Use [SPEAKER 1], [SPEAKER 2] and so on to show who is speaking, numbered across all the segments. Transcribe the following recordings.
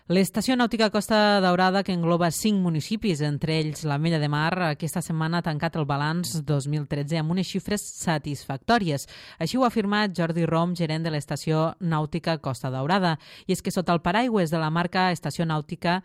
[SPEAKER 1] L'Estació Nàutica Costa Daurada, que engloba 5 municipis, entre ells l'Ametlla de Mar, aquesta setmana ha tancat el balanç 2013 amb unes xifres satisfactòries. Així ho ha afirmat Jordi Rom, gerent de l'Estació Nàutica Costa Daurada. I és que sota el paraigües de la marca Estació Nàutica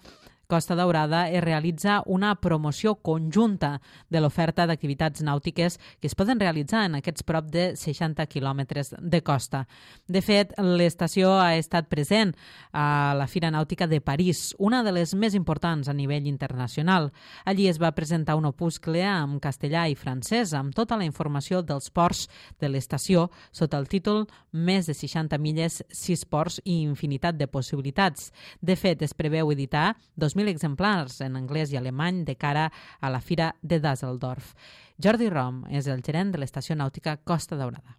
[SPEAKER 1] Costa Daurada es realitza una promoció conjunta de l'oferta d'activitats nàutiques que es poden realitzar en aquests prop de 60 quilòmetres de costa. De fet, l'estació ha estat present a la Fira Nàutica de París, una de les més importants a nivell internacional. Allí es va presentar un opuscle en castellà i francès amb tota la informació dels ports de l'estació sota el títol Més de 60 milles, 6 ports i infinitat de possibilitats. De fet, es preveu editar 2.000 exemplars en anglès i alemany de cara a la Fira de Düsseldorf. Jordi Rom és el gerent de l'Estació Nàutica Costa Daurada.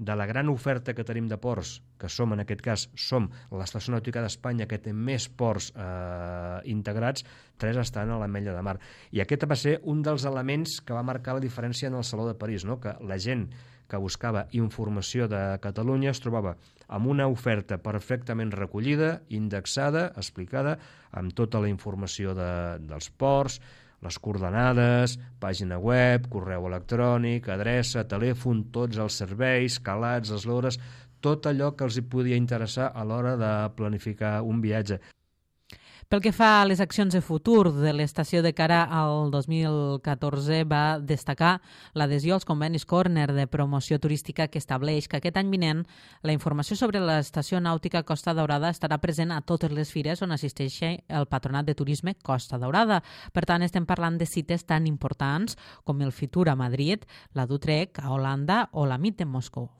[SPEAKER 2] De la gran oferta que tenim de ports, que som en aquest cas l'Estació Nàutica d'Espanya que té més ports integrats, 3 estan a l'Ametlla de Mar. I aquest va ser un dels elements que va marcar la diferència en el Saló de París, no? Que la gent que buscava informació de Catalunya es trobava amb una oferta perfectament recollida, indexada, explicada, amb tota la informació dels ports, les coordenades, pàgina web, correu electrònic, adreça, telèfon, tots els serveis, calats, eslores, tot allò que els hi podia interessar a l'hora de planificar un viatge.
[SPEAKER 1] Pel que fa a les accions de futur de l'estació de cara al 2014, va destacar l'adhesió als convenis Corner de promoció turística que estableix que aquest any vinent la informació sobre l'Estació Nàutica Costa Daurada estarà present a totes les fires on assisteixi el Patronat de Turisme Costa Daurada. Per tant, estem parlant de cites tan importants com el Fitur a Madrid, la d'Utrecht a Holanda o la MIT de Moscou.